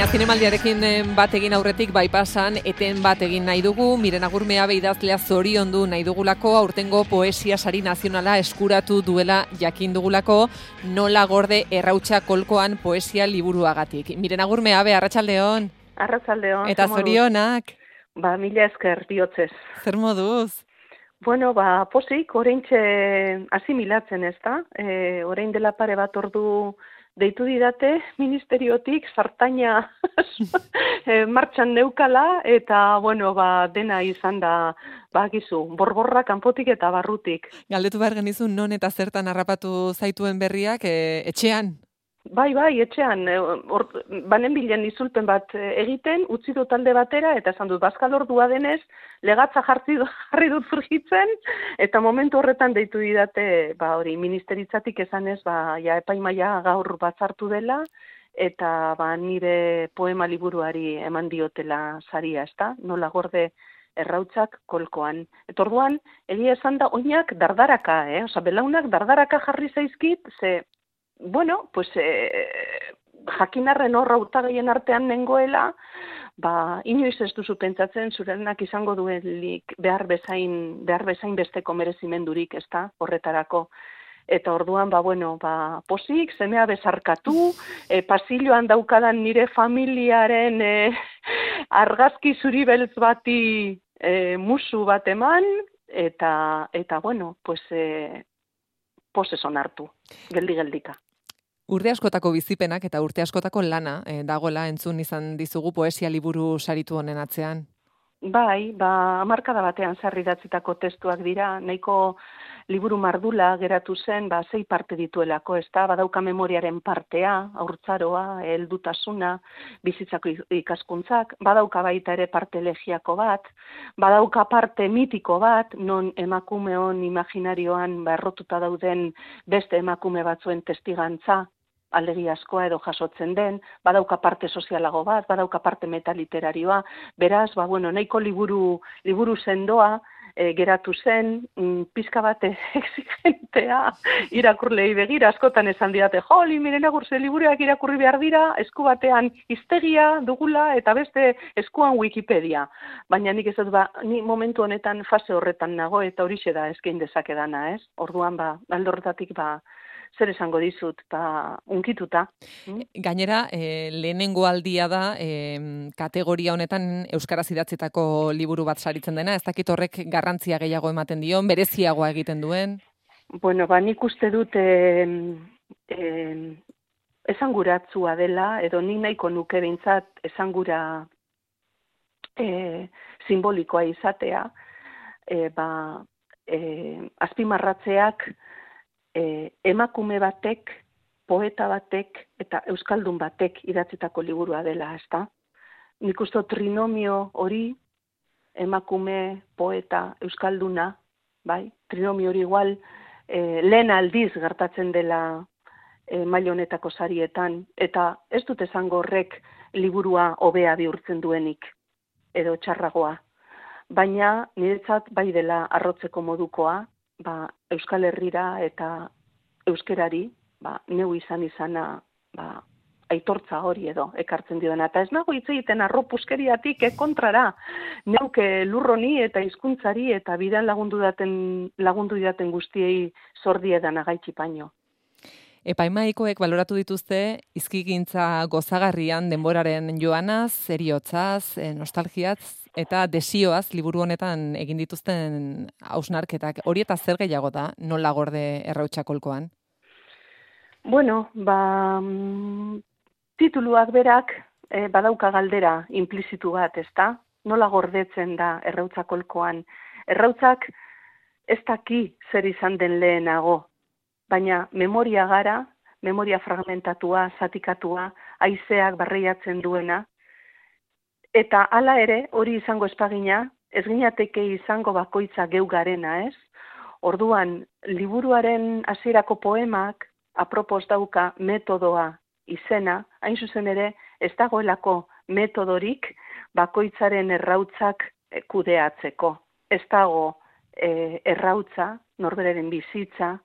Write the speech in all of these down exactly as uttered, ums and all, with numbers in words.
Baina zinemaldiarekin bat egin aurretik bypassan eten bat egin nahi dugu. Miren Agurmeabe idazlea zoriondu nahi dugulako, aurtengo poesia sari nazionala eskuratu duela jakin dugulako, Nola gorde errautsa kolkoan poesia liburuagatik. Miren Agurmeabe, arratsaldeon. Arratsaldeon. Eta zorionak. Ba, mila esker bihotzez. Zer moduz? Bueno, ba, posik, oraintxe asimilatzen ez da. E, orain dela pare bat ordu deitu didate ministeriotik sartaina martxan neukala, eta, bueno, ba, dena izan da, ba, gizu, borborra kanpotik eta barrutik. Galdetu behar genizun non eta zertan harrapatu zaituen berriak, e, etxean? Bai, bai, etxean, or, banen bilen izulpen bat egiten, utzi dut talde batera, eta esan dut, bazkal ordua denez, legatza jarri, jarri dut zurgitzen, eta momentu horretan deitu didate, ba hori, ministeritzatik esanez, ba, ja, epaimaia gaur batzartu dela, eta ba, nire poema liburuari eman diotela saria, ezta? Nola gorde errautsak kolkoan. Eta orduan, egia esan da, oinak dardaraka, eh? Osa, belaunak dardaraka jarri zaizkit, ze, bueno, pues, eh, jakinarren horra urtagaien artean nengoela, ba, inoiz ez duzu pentsatzen zurenak izango duelik behar bezain, behar bezain besteko merezimendurik, ez da, horretarako. Eta orduan, ba, bueno, ba, posik, semea bezarkatu, e, pasilloan daukadan nire familiaren e, argazki zuri beltz bati e, musu bat eman, eta, eta bueno, pues, e, poseson hartu, geldi-geldika. Urte askotako bizipenak eta urte askotako lana eh, dagoela entzun izan dizugu poesia liburu saritu honen atzean. Bai, ba, hamarkada batean sarri idatzitako testuak dira, nahiko liburu mardula geratu zen, ba, sei parte dituelako, ez da, badauka memoriaren partea, haurtzaroa, heldutasuna, bizitzako ikaskuntzak, badauka baita ere parte elegiako bat, badauka parte mitiko bat, non emakumeon imaginarioan berrotuta dauden beste emakume batzuen testigantza, aldegi askoa edo jasotzen den, badauka parte sozialago bat, badauka parte metaliteraria, beraz, ba, bueno, nahiko liburu, liburu sendoa e, geratu zen, mm, pizka bat exigentea irakurlei begira, askotan esan didate, joli, Miren Agurze liburuak irakurri behar dira, esku batean hiztegia dugula eta beste eskuan Wikipedia. Baina nik ez dut, ba, ni momentu honetan fase horretan nago eta horixe da eskein dezakedana, ez? Orduan, ba, alde horretatik, ba, zer esango dizut, ba, unkituta. Gainera, e, lehenengo aldia da, e, kategoria honetan euskaraz idatzitako liburu bat saritzen dena, ez dakit horrek garrantzia gehiago ematen dion, bereziagoa egiten duen? Bueno, ba, nik uste dut e, e, esanguratzua dela, edo ni nahiko nuke behintzat esangura e, simbolikoa izatea, e, ba, e, azpimarratzeak E, emakume batek, poeta batek eta euskaldun batek idatzitako liburua dela, ezta? Nik uste trinomio hori, emakume, poeta, euskalduna, bai? Trinomio hori igual e, lehen aldiz gertatzen dela e, maila honetako sarietan, eta ez dut esango horrek liburua hobea bihurtzen duenik, edo txarragoa. Baina niretzat bai dela arrotzeko modukoa, ba, Euskal Herrira eta euskerari, ba, neu izan izana, ba, aitortza hori edo ekartzen dioena. Eta ez nago hitz egiten arropuskeriatik kontrara, neuke lurroni eta hizkuntzari eta bidan lagundu daten, lagundu daten guztiei zordiedan agaitxipaino. Epaimaikoek baloratu dituzte hizkigintza gozagarrian denboraren joanaz, eriotzaz, nostalgiaz eta desioaz liburu honetan egin dituzten hausnarketak. Hori eta zer gehiago da, nola gorde errautsa kolkoan? Bueno, ba, tituluak berak e, badauka galdera implizitu bat, ezta? Nola gordetzen da errautsa kolkoan? Errautzak ez daki zer izan den lehenago, baina memoria gara, memoria fragmentatua, zatikatua, haizeak barreiatzen duena, eta hala ere, hori izango espagina, ez ginateke izango bakoitza geu garena, ez? Orduan, liburuaren hasierako poemak, apropos dauka metodoa izena, hain zuzen ere, ez dagoelako metodorik bakoitzaren errautzak kudeatzeko. Ez dago e, errautza, norberaren bizitza,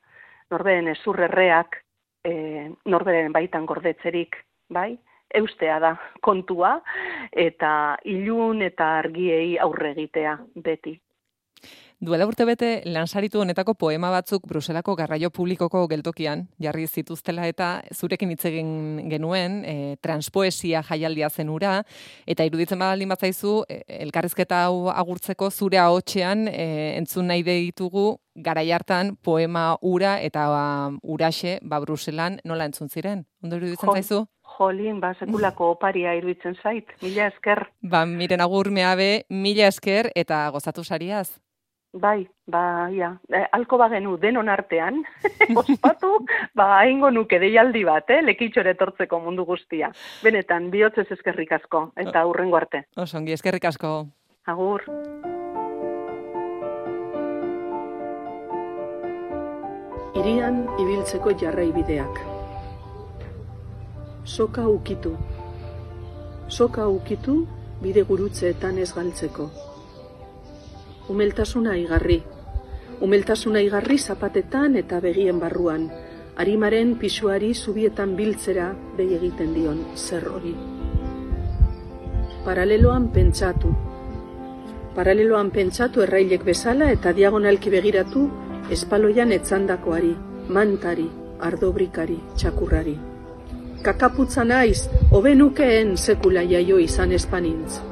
norberen ezurrerreak, e, norberen baitan gordetzerik, bai? eustea da kontua, eta ilun eta argiei aurre egitea beti. Duela urtebete lansaritu honetako poema batzuk Bruselako garraio publikoko geltokian jarri zituztela eta zurekin hitz egin genuen, e, transpoesia jaialdia zen hura, eta iruditzen badaldin batzaizu, e, elkarrizketa hau agurtzeko zure ahotsean e, entzun nahi ditugu garai hartan poema ura eta ba, uraxe ba Bruselan nola entzun ziren. Ondo iruditzen zaizu? Jolin, ba, sekulako oparia iruditzen zait, mila esker. Ba, Miren Agurmeabe, mila esker eta gozatu sariaz. Bai, ba, ja, e, alko bagenu denon artean, ospatu, ba, haingo nuke deialdi bat, eh, lekitxore etortzeko mundu guztia. Benetan, bihotzez eskerrik asko, eta hurrengo arte. Osongi, eskerrik asko. Agur. Hirian ibiltzeko jarraibideak. Soka ukitu. Soka ukitu bide gurutzeetan ez galtzeko. Umeltasuna igarri. Umeltasuna igarri zapatetan eta begien barruan. Arimaren pisuari zubietan biltzera behi egiten dion zer hori. Paraleloan pentsatu. Paraleloan pentsatu errailek bezala eta diagonalki begiratu espaloian etzandakoari, mantari, ardobrikari, txakurrari. Kakaputza naiz, hobe nukeen sekula jaio izan espanintz.